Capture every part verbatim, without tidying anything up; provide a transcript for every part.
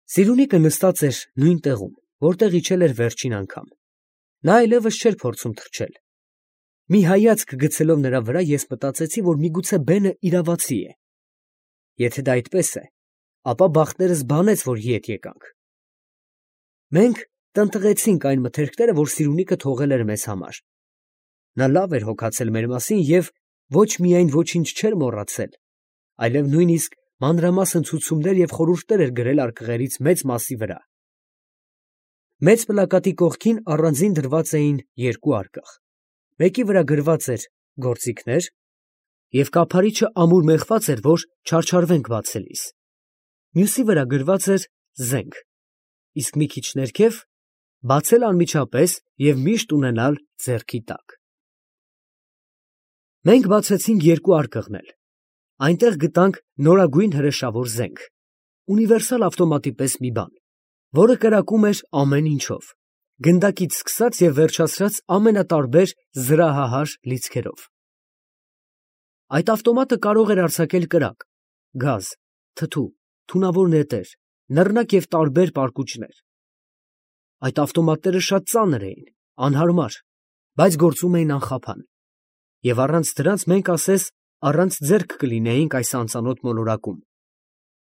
Սիրունիկը նստած էր նույն տեղում, որտեղ իջել էր վերջին անգամ. նա այլևս չէր փորձում թռչել։ Մի հայացք գցելով նրա վրա, ես մտածեցի, որ միգուցե բենը իրավացի է։ Եթե դա այդպես է, ապա բախտներս բանեց, որ ետ եկանք։ Մենք տնտղեցինք այն մթերքները, որ Սիրունիկը թողել էր մեզ համար։ Նա լավ էր հոգացել մեր մասին և ոչ միայն ոչինչ չէր մոռացել, այլև նույնիսկ մանրամասն ցուցումներ և խորհուրդներ էր գրել արկղերից մեծ մասի վրա։ Մեծ պլակատի կողքին առանձին դրված էին երկու արկղ, մեկի վրա գրված էր «Գործիքներ» և կափարիչը ամուր մեխված էր, որ չարչարվենք բացելիս, մյուսի վրա գրված էր «Զենք», իսկ մի քիչ ներքև՝ «Բացել անմիջապես և միշտ ունենալ ձեռքի տակ»։ Մենք բացեցինք երկու արկղն էլ, այնտեղ գտանք նորագույն հրեշավոր զենք, ունիվերսալ ավտոմատի պես մի բան, որը կրակում էր ամեն ինչով, գնդակից սկսած և վերջացրած ամենատարբեր զրահահար լիցքերով։ Այդ ավտոմատը կարող էր արձակել կրակ, գազ, թթու, թունավոր նետեր, նռնակ և տարբեր պարկուճներ։ Այդ ավտոմատները շատ ծանր էին, անհարմար, բայց գործում էին անխափան, և առանց դրանց մենք ասես առանց ձեռք կլինեինք այս անծանոթ մոլորակում,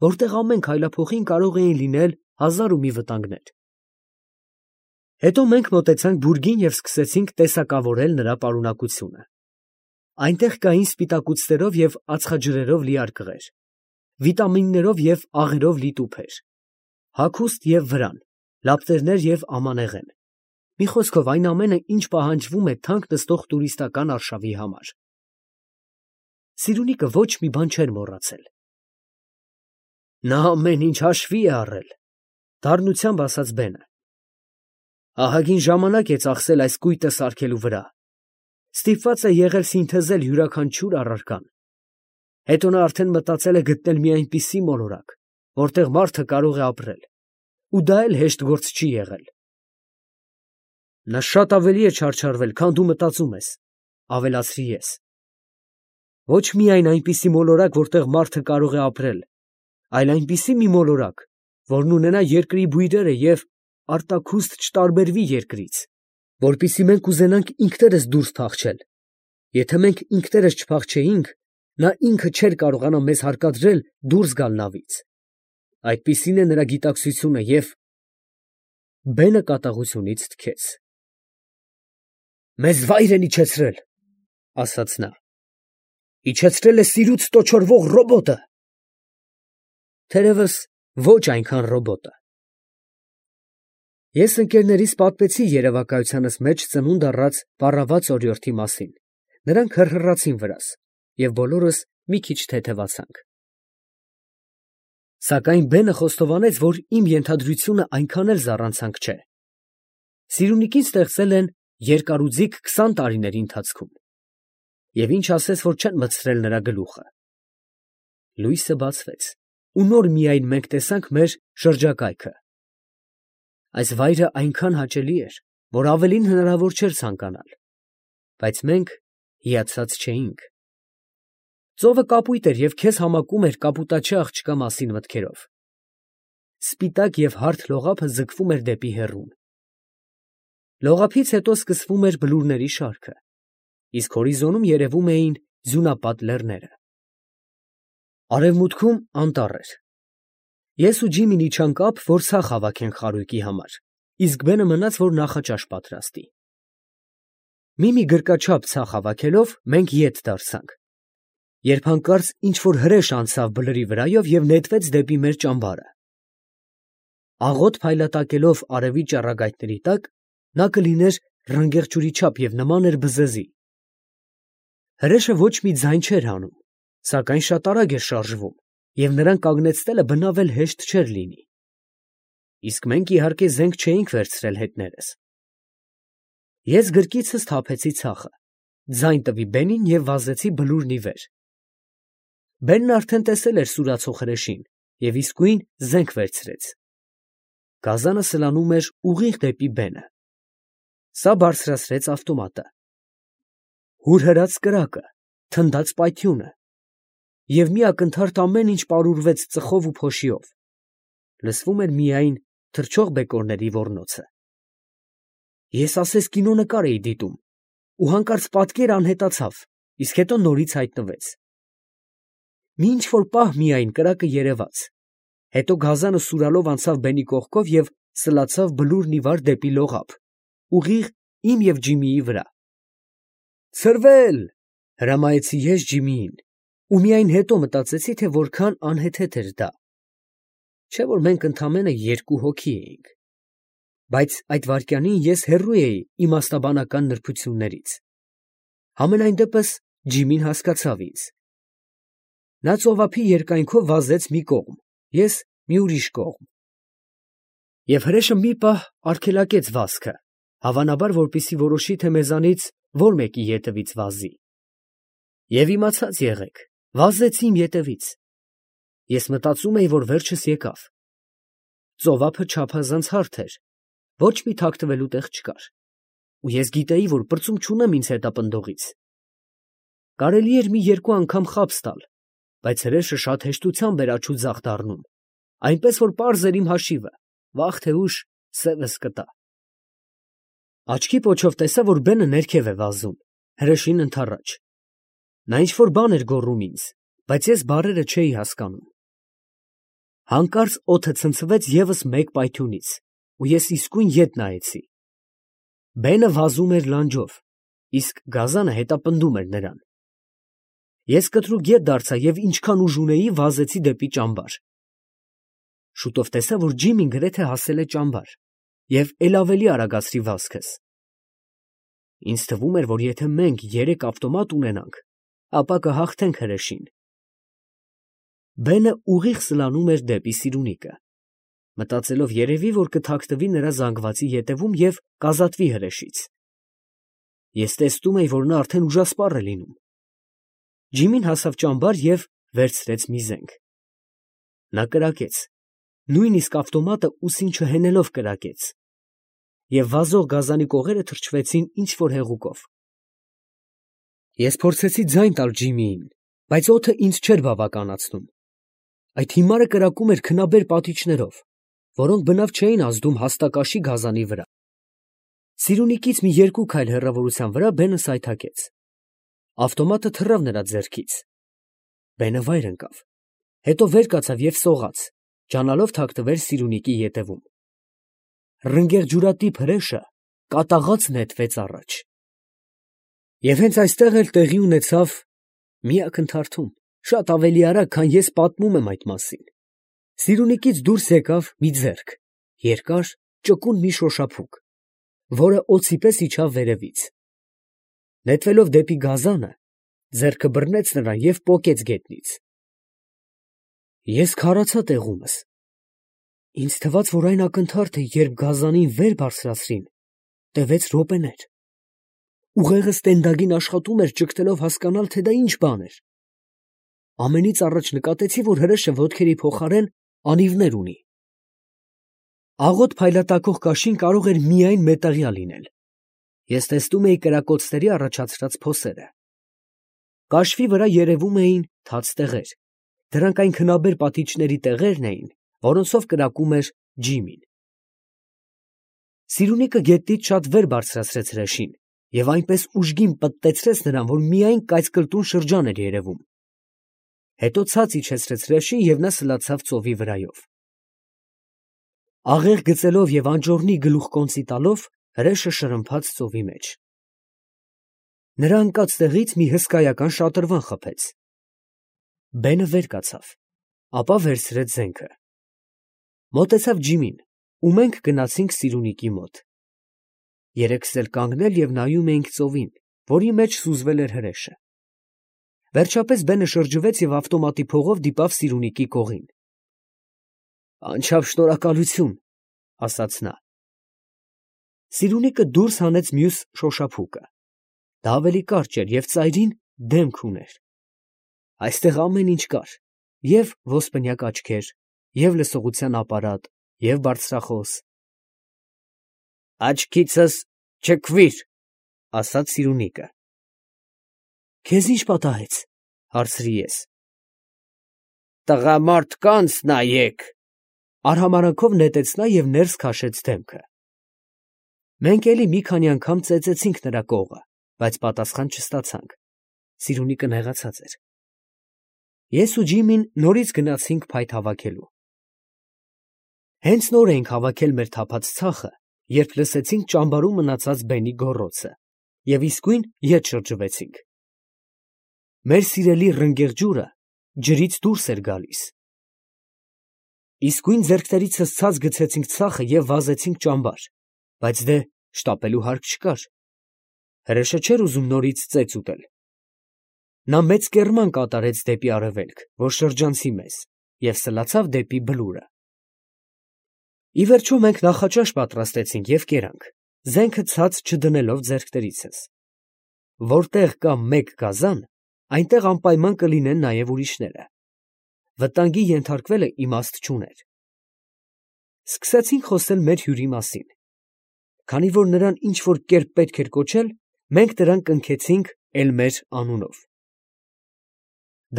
որտեղ ամեն քայլափոխին կարող էին լինել հազար ու մի վտանգներ։ Հետո մենք մոտեցանք բուրգին և սկսեցինք տեսակավորել նրա պարունակությունը։ Այնտեղ կային սպիտակուցներով և ածխաջրերով լի արկղեր, վիտամիններով և աղերով լի տուփեր, հագուստ և վրան, լապտերներ և ամանեղեն, մի խոսքով այն ամենը, ինչ պահանջվում է թանկ նստող տուրիստական արշավի համար։ Սիրունիկը ոչ մի բան չէր մոռացել։ Նա ամեն ինչ հաշվի է առել, դառնությամբ ասաց Բենը։ Ահագին ժամանակ է ծախսել այս կույտը սարքելու վրա, ստիպված է եղել սինթեզել յուրաքանչյուր առարկան։ Հետո նա արդեն մտածել է գտնել մի այնպիսի մոլորակ, որտեղ մարդը կարող է ապրել, ու դա էլ հեշտ գործ չի եղել։ Նա շատ ավելի է չարչարվել, քան դու մտածում ես, ավելացրի ես։ Ոչ միայն այնպիսի մոլորակ, որտեղ մարդը կարող է ապրել, այլ այնպիսի մի մոլորակ, որն ունենա երկրի բույրերը և արտաքուստ չտարբերվի երկրից, որպեսզի մենք կուզենանք ինքներս դուրս փախչել։ Եթե մենք ինքներս չփախչեինք, նա ինքը չէր կարողանա մեզ հարկադրել դուրս գալ նավից։ Այդպիսին է նրա գիտակցությունը և… Բենը կատաղությունից թքեց։ Մեզ վայր են իջեցրել, ասաց նա։ Իջեցրել է սիրուց տոչորվող ռոբոտը։ Թերևս ոչ այնքան ռոբոտը։ Ես ընկերներիս պատմեցի երևակայությանս մեջ ծնունդ առած պառաված օրիորդի մասին, նրանք հռհռացին վրաս, և բոլորս մի քիչ թեթևացանք։ Սակայն Բենը խոստովանեց, որ իմ ենթադրությունը այնքան էլ զառանցանք չէ։ Սիրունիկին ստեղծել են երկարուձիգ քսան տարիների ընթացքում, և ինչ ասես, որ չեն մտցրել նրա գլուխը։ Լույսը բացվեց, ու նոր միայն մենք տեսանք մեր շրջակայքը։ Այս վայրը այնքան հաճելի էր, որ ավելին հնարավոր չէր ցանկանալ, բայց մենք հիացած չէինք։ Ծովը կապույտ էր և քեզ համակում էր կապուտաչի աղջկա մասին մտքերով։ Սպիտակ և հարթ լողափը ձգվում էր դեպի հեռուն։ Լողափից հետո սկսվում էր բլուրների շարքը, իսկ հորիզոնում երևում էին ձյունապատ լեռները։ Արևմուտքում անտառ էր։ Ես ու Ջիմին իջանք ափ, որ ցախ հավաքենք խարույկի համար, իսկ Բենը մնաց, որ նախաճաշ պատրաստի։ Մի-մի գրկաչափ ցախ հավաքելով մենք ետ դարձանք, երբ հանկարծ ինչ֊որ հրեշ անցավ բլրի վրայով և նետվեց դեպի մեր ճամբարը։ Աղոտ փայլատակելով արևի ճառագայթների տակ, նա կլիներ ռնգեղջյուրի չափ և նման էր բզեզի։ Հրեշը ոչ մի ձայն չէր հանում, սակայն շատ արագ էր շարժվում, և նրան կանգնեցնելը բնավ էլ հեշտ չէր լինի։ Իսկ մենք, իհարկե, զենք չէինք վերցրել հետներս։ Ես գրկիցս թափեցի ցախը, ձայն տվի Բենին և վազեցի բլուրն ի վեր։ Բենն արդեն տեսել էր սուրացող հրեշին և իսկույն զենք վերցրեց։ Գազանը սլանում էր ուղիղ դեպի Բենը։ Սա բարձրացրեց ավտոմատը։ Հուրհրաց կրակը, թնդաց պայթյունը, և մի ակնթարթ ամեն ինչ պարուրվեց ծխով ու փոշիով։ լսվում էր միայն թռչող բեկորների ոռնոցը։ Ես ասես կինոնկար էի դիտում, ու հանկարծ պատկեր անհետացավ, իսկ հետո նորից հայտնվեց։ Մի ինչ-որ պահ միայն կրակը երևաց, հետո գազանը սուրալով անցավ բենի կողքով և սլացավ բլուրն ի վար դեպի լողափ, ուղիղ իմ և Ջիմիի վրա։ «Ցրվել!» հրամայեցի ես Ջիմիին, ու միայն հետո մտածեցի, թե որքան անհեթեթ էր դա, չէ՞ որ մենք ընդամենը երկու հոգի էինք, բայց այդ վայրկյանին ես հեռու էի իմաստաբանական նրբություններից։ Համենայն դեպս Ջիմին հասկացավ ինձ։ Նա ծովափի երկայնքով վազեց մի կողմ, ես մի ուրիշ կողմ, և հրեշը մի պահ արգելակեց վազքը, հավանաբար, որպեսզի որոշի, թե մեզանից որ մեկի ետևից վազի։ Եվ իմացած եղեք, վազեց իմ ետևից։ Ես մտածում էի, որ վերջս եկավ։ Ծովափը չափազանց հարթ էր, ոչ մի թաքնվելու տեղ չկար, ու ես գիտեի, որ պրծում չունեմ ինձ հետապնդողից։ Կարելի էր մի երկու անգամ խաբս տալ, բայց հրեշը շատ հեշտությամբ էր աջ ու ձախ դառնում, այնպես որ պարզ էր իմ հաշիվը, վաղ թե ուշ սևս կտա։ Աչքի պոչով տեսա, որ բենը ներքև է վազում, հրեշին ընդառաջ։ Նա ինչ֊որ բան էր գոռում ինձ, բայց ես բառերը չէի հասկանում։ Հանկարծ օդը ցնցվեց ևս մեկ պայթյունից, ու ես իսկույն ետ նայեցի։ Բենը վազում էր լանջով, իսկ գազանը հետապնդում էր նրան։ Ես կտրուկ ետ դարձա և ինչքան ուժ ունեի, վազեցի դեպի ճամբար։ Շուտով տեսա, որ Ջիմին գրեթե հասել է ճամբար և էլ ավելի արագացրի վազքս։ Ինձ թվում էր, որ եթե մենք երեք ավտոմատ ունենանք, ապա կհաղթենք հրեշին։ Բենը ուղիղ սլանում էր դեպի Սիրունիկը, մտածելով երևի, որ կթաքնվի նրա զանգվածի ետևում և կազատվի հրեշից։ Ես տեսնում էի, որ նա արդեն ուժասպառ է լինում։ Ջիմին հասավ ճամբար և վերցրեց մի զենք։ Նա կրակեց, նույնիսկ ավտոմատը ուսին չհենելով կրակեց, և վազող գազանի կողերը թրջվեցին ինչ֊որ հեղուկով։ Ես փորձեցի ձայն տալ Ջիմիին, բայց օդը ինձ չէր բավականացնում։ Այդ հիմարը կրակում էր քնաբեր պատիճներով, որոնք բնավ չէին ազդում հաստակաշի գազանի վրա։ Սիրունիկից մի երկու քայլ հեռավորության վրա բենը սայթաքեց։ Ավտոմատը թռավ նրա ձեռքից։ Բենը վայր ընկավ, հետո վեր կացավ և սողաց, ջանալով թաքնվել Սիրունիկի ետևում։ Ռնգեղջյուրատիպ հրեշը կատաղած նետվեց առաջ։ Եվ հենց այստեղ էլ տեղի ունեցավ մի ակնթարթում, շատ ավելի արագ, քան ես պատմում եմ այդ մասին։ Սիրունիկից դուրս եկավ մի ձեռք, երկար, ճկուն մի շոշափուկ, որը օձի պես իջավ վերևից։ Նետվելով դեպի գազանը, ձեռքը բռնեց նրան և պոկեց գետնից։ Ես քարացա տեղումս։ Ինձ թվաց, որ այն ակնթարթը, երբ գազանին վեր բարձրացրին, տևեց րոպեներ։ Ուղեղս տենդագին աշխատում էր ճգտելով հասկանալ, թե դա ինչ բան էր։ Ամենից առաջ նկատեցի, որ հրեշը ոտքերի փոխարեն անիվներ ունի։ Աղոտ փայլատակող կաշին կարող էր միայն մետաղյա լինել։ Ես տեսնում էի կրակոցների առաջացրած փոսերը։ Կաշվի վրա երևում էին թաց տեղեր, դրանք այն քնաբեր պատիճների տեղերն էին, որոնցով կրակում էր Ջիմին։ Սիրունիկը գետնից շատ վեր բարձրացրեց հրեշին և այնպես ուժգին պտտեցրեց նրան, որ միայն կայծկլտուն շրջան էր երևում։ Հետո ցած իջեցրեց հրեշին և նա սլացավ ծովի վրայով։ Աղեղ գծելով և անճոռնի գլուխկոնծի տալով, հրեշը շրմփաց ծովի մեջ։ Նրա ընկած տեղից մի հսկայական շատրվան խփեց։ Բենը վեր կացավ, ապա վերցրեց զենքը։ Մոտեցավ Ջիմին, ու մենք գնացինք Սիրունիկի մոտ։ Երեքս էլ կանգնել և նայում էինք ծովին, որի մեջ սուզվել էր հրեշը։ Վերջապես բենը շրջվեց և ավտոմատի փողով դիպավ Սիրունիկի կողին։ «Անչափ շնորհակալություն», ֊ ասաց նա։ Սիրունիկը դուրս հանեց մյուս շոշափուկը։ Դա ավելի կարճ էր և ծայրին դեմք ուներ։ Այստեղ ամեն ինչ կար, և ոսպնյակ աչքեր, և լսողության ապարատ, և բարձրախոս։ «Աչքիցս չքվիր», ֊ ասաց Սիրունիկը։ «Քեզ ի՞նչ պատահեց», ֊ հարցրի ես։ «Տղամարդկանց նայեք», Արհամարանքով նետեց նա և ներս քաշեց դեմքը։ Մենք էլի մի քանի անգամ ծեծեցինք նրա կողը, բայց պատասխան չստացանք. Սիրունիկը նեղացած էր։ Ես ու Ջիմին նորից գնացինք փայտ հավաքելու։ Հենց նոր էինք հավաքել մեր թափած ցախը, երբ լսեցինք ճամբարում մնացած բենի գոռոցը և իսկույն ետ շրջվեցինք։ Մեր սիրելի ռնգեղ ջուրը ջրից դուրս էր գալիս։ Իսկույն ձեռքներիցս ցած գցեցինք ցախը և վազեցինք ճամբար, բայց դե շտապելու հարկ չկար։ Հրեշը չէր ուզում նորից ծեծ ուտել։ Նա մեծ կեռման կատարեց դեպի արևելք, որ շրջանցի մեզ, և սլացավ դեպի բլուրը։ Ի վերջո մենք նախաճաշ պատրաստեցինք և կերանք, զենքը ցած չդնելով ձեռքներիցս։ Որտեղ կա մեկ գազան, այնտեղ անպայման կլինեն նաև ուրիշները։ Վտանգի ենթարկվելը իմաստ չուներ։ Սկսեցինք խոսել մեր հյուրի մասին։ Քանի որ նրան ինչ֊որ կերպ պետք էր կոչել, մենք նրան կնքեցինք Էլմեր անունով։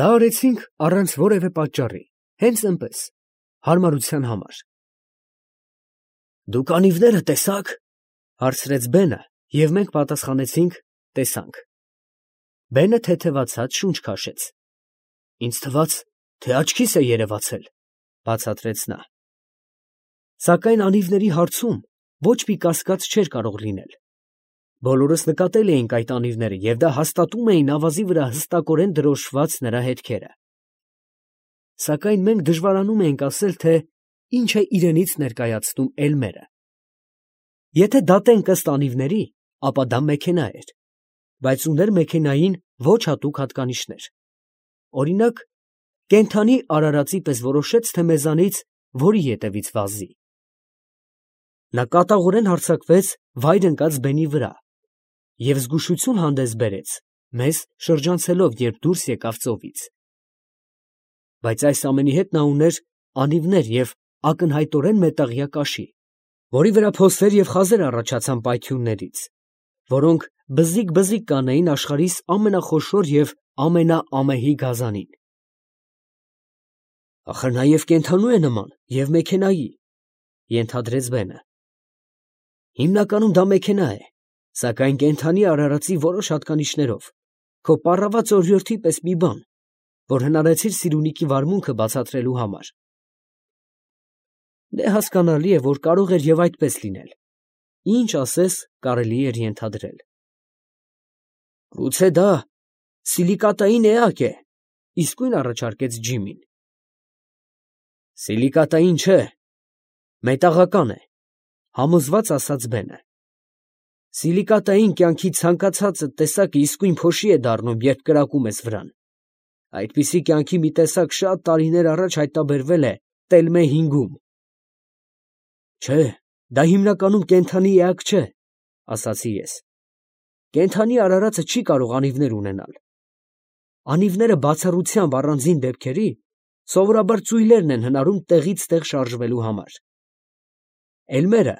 Դա արեցինք առանց որևէ պատճառի, հենց այնպես, հարմարության համար։ «Դուք անիվները տեսա՞ք», հարցրեց բենը, և մենք պատասխանեցինք. «Տեսանք»։ Բենը թեթևացած շունչ քաշեց։ «Ինձ թվաց, թե աչքիս է երևացել», բացատրեց նա։ Սակայն անիվների հարցում ոչ մի կասկած չէր կարող լինել։ Բոլորս նկատել էինք այդ անիվները և դա հաստատում էին ավազի վրա հստակորեն դրոշմված նրա հետքերը։ Սակայն մենք դժվարանում էինք ասել, թե ինչ է իրենից ներկայացնում Էլմերը։ Եթե դատենք ըստ անիվների, ապա դա մեքենա էր, բայց ուներ մեքենային ոչ հատուկ հատկանիշներ։ Օրինակ, կենդանի արարածի պես որոշեց, թե մեզանից որի ետևից վազի։ Նա կատաղորեն հարձակվեց վայր ընկած բենի վրա և զգուշություն հանդես բերեց, մեզ շրջանցելով, երբ դուրս եկավ ծովից։ Բայց այս ամենի հետ նա ուներ անիվներ և ակնհայտորեն մետաղյա կաշի, որի վրա փոսեր և խազեր առաջացան պայթյուններից, որոնք բզիկ֊բզիկ կանեին աշխարհիս ամենախոշոր և ամենաամեհի գազանին։ «Ախր նաև կենդանու է նման և մեքենայի», ենթադրեց բենը։ «Հիմնականում դա մեքենա է, սակայն կենդանի արարածի որոշ հատկանիշներով, քո պառաված օրիորդի պես մի բան, որ հնարեցիր սիրունիկի վարմունքը բացատրելու համար»։ Դե հասկանալի է, որ կարող էր և այդպես լինել, ինչ ասես կարելի էր ենթադրել։ «Գուցե դա սիլիկատային էակ է», իսկույն առաջարկեց Ջիմին։ «Սիլիկատային չէ, մետաղական է», համոզված ասաց բենը։ «Սիլիկատային կյանքի ցանկացած տեսակը իսկույն փոշի է դառնում, երբ կրակում ես վրան։ Այդպիսի կյանքի մի տեսակ շատ տարիներ առաջ հայտնաբերվել է Տելմե հինգում»։ «Չէ, դա հիմնականում կենդանի էակ չէ», ասացի ես։ «Կենդանի արարածը չի կարող անիվներ ունենալ։ Անիվները բացառությամբ առանձին դեպքերի սովորաբար ծույլերն են հնարում տեղից տեղ շարժվելու համար։ Էլմերը,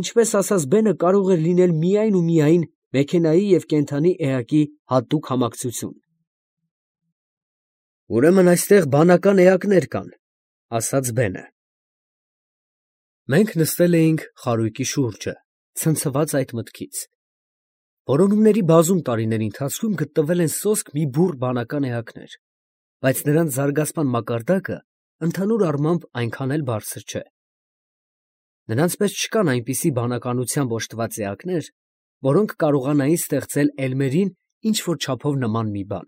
ինչպես ասաց բենը, կարող էր լինել միայն ու միայն մեքենայի և կենդանի էակի հատուկ համակցություն»։ «Ուրեմն այստեղ բանական էակներ կան», ասաց բենը։ Մենք նստել էինք խարույկի շուրջը, ցնցված այդ մտքից։ Որոնումների բազում տարիների ընթացքում գտնվել են սոսկ մի բուռ բանական էակներ, բայց նրանց զարգացման մակարդակը ընդհանուր առմամբ այնքան էլ բարձր չէ։ Նրանց պես չկան այնպիսի բանականությամբ օժտված էակներ, որոնք կարողանային ստեղծել Էլմերին ինչ֊որ չափով նման մի բան։